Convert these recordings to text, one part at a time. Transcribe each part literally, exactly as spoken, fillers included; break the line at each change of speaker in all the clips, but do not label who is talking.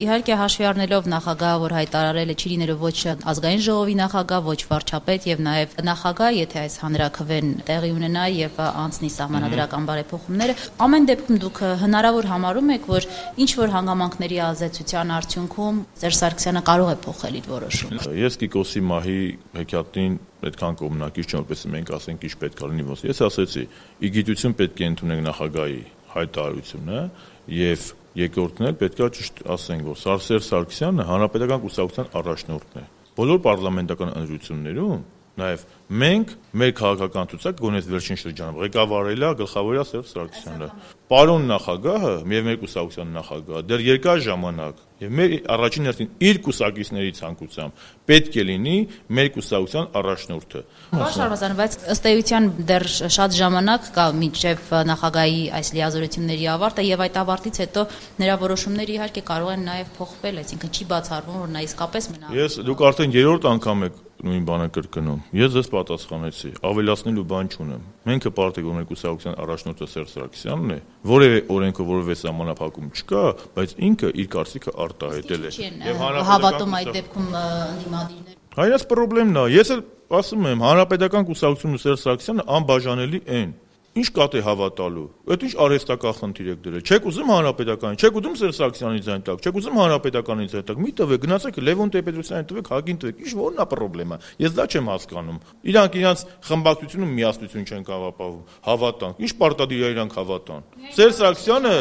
Իհարկե հաշվի առնելով նախագահը, որ հայտարարել է չի լինելու ոչ ազգային ժողովի նախագահ, ոչ վարչապետ եւ նաեւ նախագահ, եթե այս հանրաքվեն տեղի ունենա եւ անցնի սահմանադրական բարեփոխումները, ամեն դեպքում դուք հնարավոր համարում եք, որ ինչ որ հանգամանքների ազդեցության արդյունքում Սերժ Սարգսյանը կարող է փոխել իր որոշումը։
Ես Կիկոսի մահի հեքիաթին այդքան կողմնակից չեմ, որպես մենք ասենք ինչ պետք է լինի ոնց։ Ես ասեցի, ի գիտություն պետք է ընդունենք նախագահի հայտարարությունը եւ երկրորդն էլ պետք է ճիշտ ասենք, որ Սերժ Սարգսյանը հանրապետական կուսակցության առաջնորդն է։ Բոլոր պարլամենտական ընտրություններում նաև մենք մեր քաղաքական ցուցակ գոնե վերջին շրջանում ղեկավարել է գլխավորյա Սերժ Սարգսյանը։ Պարոն նախագահը եւ մեր կուսակցության նախագահը դեռ երկար ժամանակ եւ մեր առաջին հերթին իր կուսակիցների ցանկությամբ պետք է լինի մեր կուսակցության առաջնորդը։
Պարոն Շարմազան, բայց ըստ էության դեռ շատ ժամանակ կա մինչև նախագահի այս լիազորությունների ավարտը եւ այդ ավարտից հետո նրա որոշումները իհարկե կարող են նաեւ փոխվել, այսինքն չի բացառվում, որ նա իսկապես մնա։
Ես դուք արդեն երրորդ անգամ եք նույն բանը կրկնում։ Ես ձեզ պատասխանեցի, ավելացնելու բան չունեմ։ Մենք հպարտ ենք, որ մեր կուսակցության առաջնորդը Սերժ Սարգսյանն է, որևէ օրենքով որևէ սահմանափակում չկա, բայց ինքը իր կարծիքը արտահայտել է։
Եվ հավատում այդ դեպքում ընդդիմադիրներ։
Հայաց խնդիրն է, ես էլ ասում եմ, հանրապետական կուսակցությունը Սերժ Սարգսյանը անբաժանելի են։ Ինչ կատ է հավատալու։ Այդ ինչ արհեստական խնդիր եք դրել։ Չեք ուզում հանրապետական, չեք ուզում Սերժ Սարգսյանի ձայն տակ, չեք ուզում հանրապետականի ձայն տակ։ Մի տվեք, գնացեք Լևոն Տեր-Պետրոսյանին տվեք, Հակին տվեք։ Ինչ որն է խնդրեմը։ Ես դա չեմ հասկանում։ Իրանք իրանք խմբակցությունը միասնություն չեն կապապավում, հավատան։ Ինչ պարտադիր է իրանք հավատան։ Սերժ Սարգսյանը,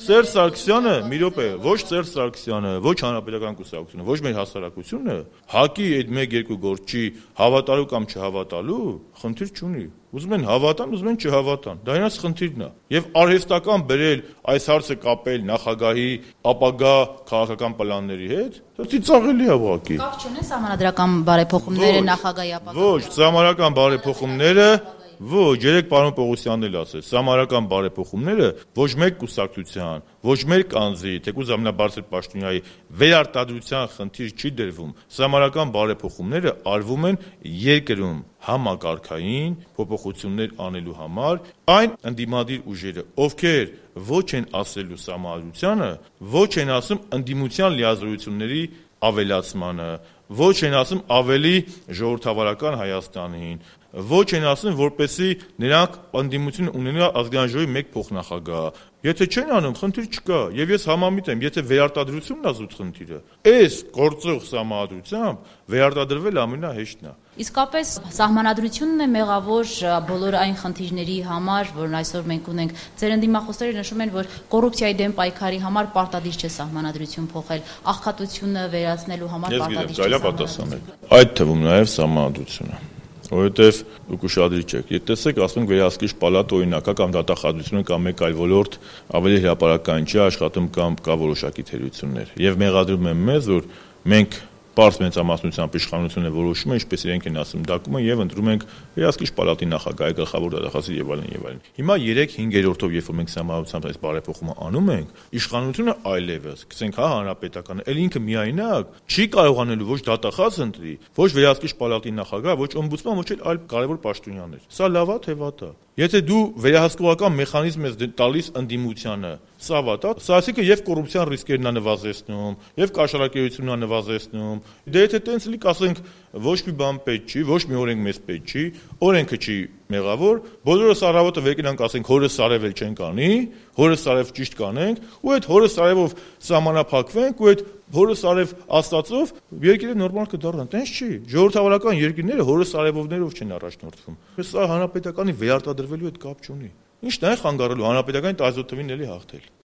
Սերժ Սարգսյանը, մի րոպե, ոչ Սերժ Սարգսյանը, ոչ հանրապետական կուսակցությունը, ոչ մեր հասարակությունը, Հակի այդ մեկ-երկու գործի հավատալու կամ չհավատալու խնդիր չունի։ Ուզում են հավատան, ուզում են չհավատան։ Դա իրանց խնդիրն է։ Եվ արհեստական բերել այս հարցը կապել նախագահի ապագա քաղաքական պլանների հետ, դա ծիծաղելի է ուղղակի։
Կապ չունի սահմանադրական բարեփոխումները նախագահի ապագա։
Ոչ, սահմանադրական բարեփոխումները Ոչ, երեք պարոն Պողոսյանն էլ ասեց, սահմանադրական բարեփոխումները ոչ մեկ կուսակցության, ոչ մեր կանձի, թեկուզ ամենաբարձր պաշտոնյայի վերարտադրության խնդիր չի դրվում։ Սահմանադրական բարեփոխումները արվում են երկրում համակարգային փոփոխություններ անելու համար, այն ընդդիմադիր ուժերը, ովքեր ոչ են ասելու սահմանադրությանը, ոչ են ասում ընդդիմության լիազորությունների ավելացմանը, ոչ են ասում ավելի ժողովրդավարական Հայաստանին, ոչ են ասում, որպեսզի նրանք ընդդիմություն ունենա ազգային ժողովի մեկ փոխնախագահ։ Եթե չեն անում, խնդիր չկա, եւ ես համամիտ եմ, եթե վերարտադրությունն է զուտ խնդիրը, այս գործող սահմանադրությամբ վերարտադրվել ամենահեշտն է։
Իսկապես սահմանադրությունն է մեղավոր բոլոր այն խնդիրների համար, որն այսօր մենք ունենք։ Ձեր ընդդիմախոսները նշում են, որ կոռուպցիայի դեմ պայքարի համար պարտադիր չէ սահմանադրություն փոխել, աղքատությունը վերացնելու համար պարտադիր չէ։
Ես գիտեմ, պատասխանել։ Այդ թվում նաեւ սահմանադրությունը։ Որովհետև դուք ուշադրի չեք։ Եթե տեսեք, ասում ենք վերահսկիչ պալատ օրինակա կամ դատախազությունը կամ մեկ այլ ոլորտ ավելի հրապարակային չի աշխատում կամ կա որոշակի թերություններ։ Եվ մեղադրում եմ մեզ, որ մենք պարզ մեծամասնությամբ իշխանությունը որոշում է, ինչպես իրենք են ասում, դակումը եւ ընտրում ենք վերահսկիչ պալատի նախագահի գլխավոր դատախազի եւ այլն եւ այլն։ Հիմա երեք-հինգերորդով, երբ որ մենք սահմանադրությամբ այս բարեփոխումը անում ենք, իշխանությունը այլևս, գցենք հա հանրապետականը, ել ինքը միայնակ չի կարողանելու ոչ դատախազ ընտրի, ոչ վերահսկիչ պալատի նախագահ, ոչ օմբուդսման, ոչ էլ այլ կարևոր պաշտոնյաներ։ Սա լավ է թե վատ է։ Եթե դու վերահսկողական մեխանիզմ ես տալիս ընդդիմությանը, սա վատ է, սա ասիկը եւ կոռուպցիան ռիսկերն է նվազեցնում, եւ կաշառակերությունն է նվազեցնում։ Դե եթե տենց լի կասենք ոչ մի բան պետք չի, ոչ մի օրենք մեզ պետք չի, օրենքը չի մեղավոր, բոլորս առավոտը վերկենանք ասենք հորս սարևել չենք անի, հորս սարև ճիշտ կանենք, ու այդ հորս սարևով սահմանափակվենք, ու այդ հորս սարև աստծով երկիրը նորմալ կդառնան, տենց չի։ Ժողովրդավարական երկիրները հորս սարևովներով չեն առաջնորդվում։ Սա հանրապետականի վերարտադրվելու հետ կապ չունի։ Ինչն է խանգարելու հանրապետականի տարածօթովին էլի հաղթել։